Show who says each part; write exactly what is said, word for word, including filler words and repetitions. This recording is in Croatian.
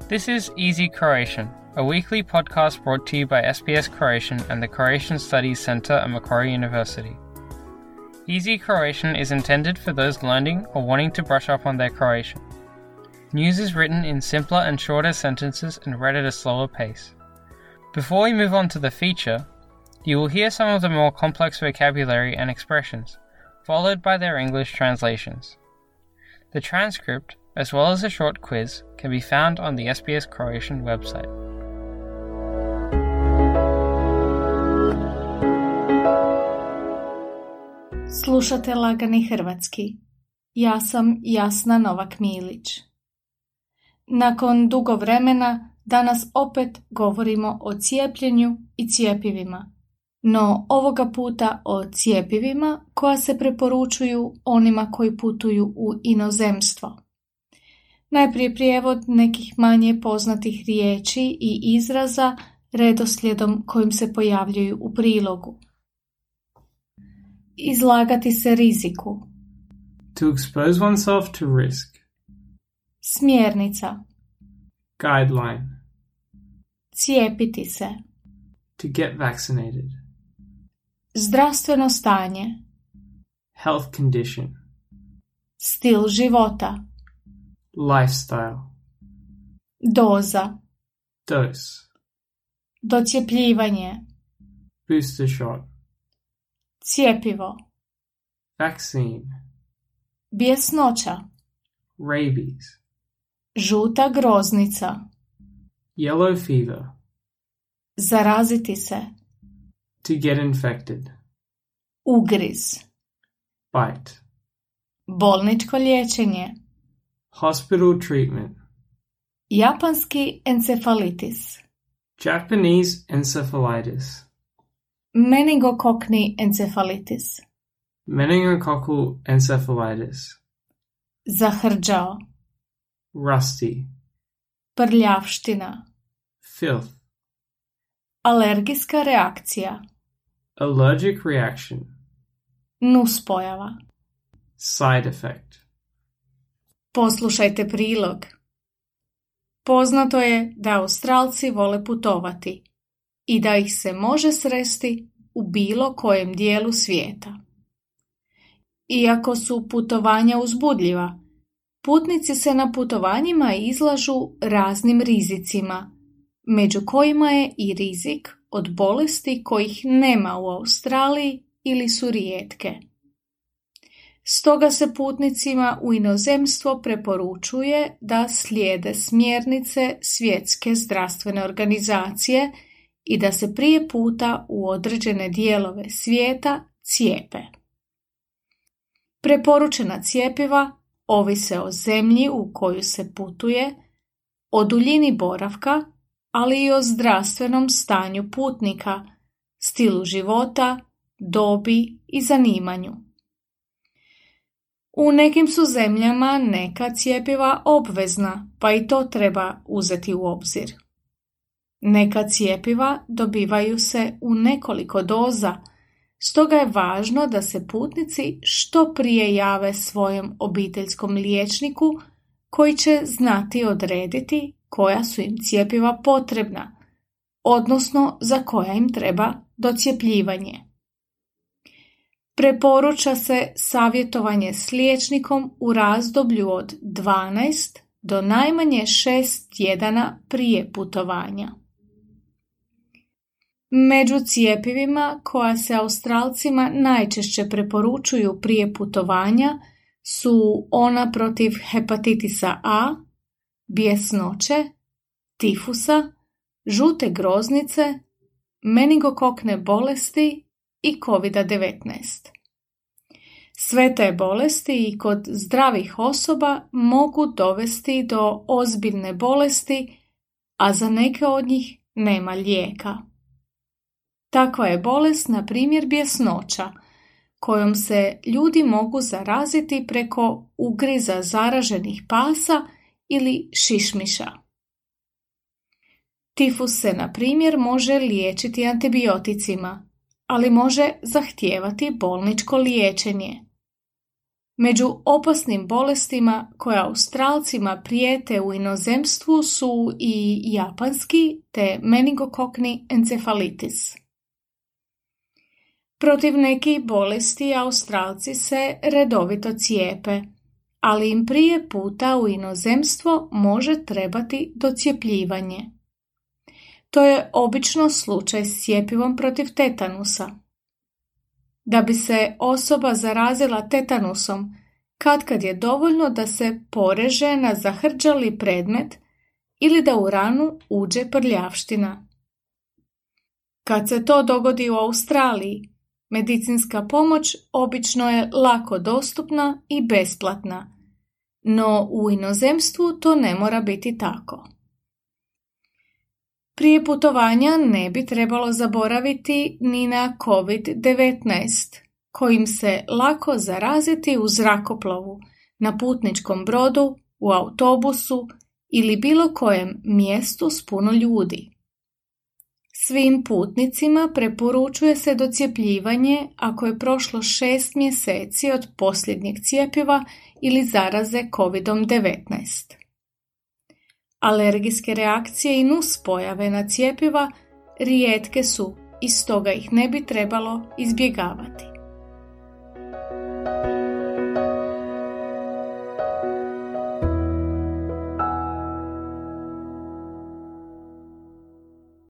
Speaker 1: This is Easy Croatian, a weekly podcast brought to you by S B S Croatian and the Croatian Studies Centre at Macquarie University. Easy Croatian is intended for those learning or wanting to brush up on their Croatian. News is written in simpler and shorter sentences and read at a slower pace. Before we move on to the feature, you will hear some of the more complex vocabulary and expressions, followed by their English translations. The transcript, as well as a short quiz, can be found on the S B S Croatian website.
Speaker 2: Slušate Lagani hrvatski. Ja sam Jasna Novak-Milić. Nakon dugo vremena danas opet govorimo o cijepljenju i cjepivima, no ovoga puta o cjepivima koja se preporučuju onima koji putuju u inozemstvo. Najprije prijevod nekih manje poznatih riječi i izraza redoslijedom kojim se pojavljuju u prilogu. Izlagati se riziku.
Speaker 3: To expose oneself to risk.
Speaker 2: Smjernica.
Speaker 3: Guideline.
Speaker 2: Cijepiti se.
Speaker 3: To get vaccinated.
Speaker 2: Zdravstveno stanje.
Speaker 3: Health condition.
Speaker 2: Stil života.
Speaker 3: Lifestyle.
Speaker 2: Doza.
Speaker 3: Dose.
Speaker 2: Docjepljivanje.
Speaker 3: Booster shot.
Speaker 2: Cjepivo.
Speaker 3: Vaccine.
Speaker 2: Bjesnoća.
Speaker 3: Rabies.
Speaker 2: Žuta groznica.
Speaker 3: Yellow fever.
Speaker 2: Zaraziti se.
Speaker 3: To get infected.
Speaker 2: Ugriz.
Speaker 3: Bite.
Speaker 2: Bolničko liječenje.
Speaker 3: Hospital treatment.
Speaker 2: Japanski encefalitis.
Speaker 3: Japanese encephalitis.
Speaker 2: Meningokokni encefalitis.
Speaker 3: Meningococcal encephalitis.
Speaker 2: Zahrđao.
Speaker 3: Rusty.
Speaker 2: Prljavština.
Speaker 3: Filth.
Speaker 2: Alergijska reakcija.
Speaker 3: Allergic reaction.
Speaker 2: Nuspojava.
Speaker 3: Side effect.
Speaker 2: Poslušajte prilog. Poznato je da Australci vole putovati i da ih se može sresti u bilo kojem dijelu svijeta. Iako su putovanja uzbudljiva, putnici se na putovanjima izlažu raznim rizicima, među kojima je i rizik od bolesti kojih nema u Australiji ili su rijetke. Stoga se putnicima u inozemstvo preporučuje da slijede smjernice Svjetske zdravstvene organizacije i da se prije puta u određene dijelove svijeta cijepe. Preporučena cjepiva ovise o zemlji u koju se putuje, o duljini boravka, ali i o zdravstvenom stanju putnika, stilu života, dobi i zanimanju. U nekim su zemljama neka cjepiva obvezna, pa i to treba uzeti u obzir. Neka cjepiva dobivaju se u nekoliko doza, stoga je važno da se putnici što prije jave svojem obiteljskom liječniku koji će znati odrediti koja su im cjepiva potrebna, odnosno za koja im treba docjepljivanje. Preporuča se savjetovanje s liječnikom u razdoblju od dvanaest do najmanje šest tjedana prije putovanja. Među cjepivima koja se Australcima najčešće preporučuju prije putovanja su ona protiv hepatitisa A, bjesnoće, tifusa, žute groznice, meningokokne bolesti i kovid devetnaest. Sve te bolesti i kod zdravih osoba mogu dovesti do ozbiljne bolesti, a za neke od njih nema lijeka. Takva je bolest, na primjer, bjesnoća, kojom se ljudi mogu zaraziti preko ugriza zaraženih pasa ili šišmiša. Tifus se, na primjer, može liječiti antibioticima, ali može zahtijevati bolničko liječenje. Među opasnim bolestima koje Australcima prijete u inozemstvu su i japanski te meningokokni encefalitis. Protiv nekih bolesti Australci se redovito cijepe, ali im prije puta u inozemstvo može trebati docjepljivanje. To je obično slučaj s cjepivom protiv tetanusa. Da bi se osoba zarazila tetanusom, katkad je dovoljno da se poreže na zahrđali predmet ili da u ranu uđe prljavština. Kad se to dogodi u Australiji, medicinska pomoć obično je lako dostupna i besplatna, no u inozemstvu to ne mora biti tako. Prije putovanja ne bi trebalo zaboraviti ni na kovid devetnaest, kojim se lako zaraziti u zrakoplovu, na putničkom brodu, u autobusu ili bilo kojem mjestu s puno ljudi. Svim putnicima preporučuje se docjepljivanje ako je prošlo šest mjeseci od posljednjeg cjepiva ili zaraze kovid devetnaest. Alergijske reakcije i nuspojave na cjepiva rijetke su i stoga ih ne bi trebalo izbjegavati.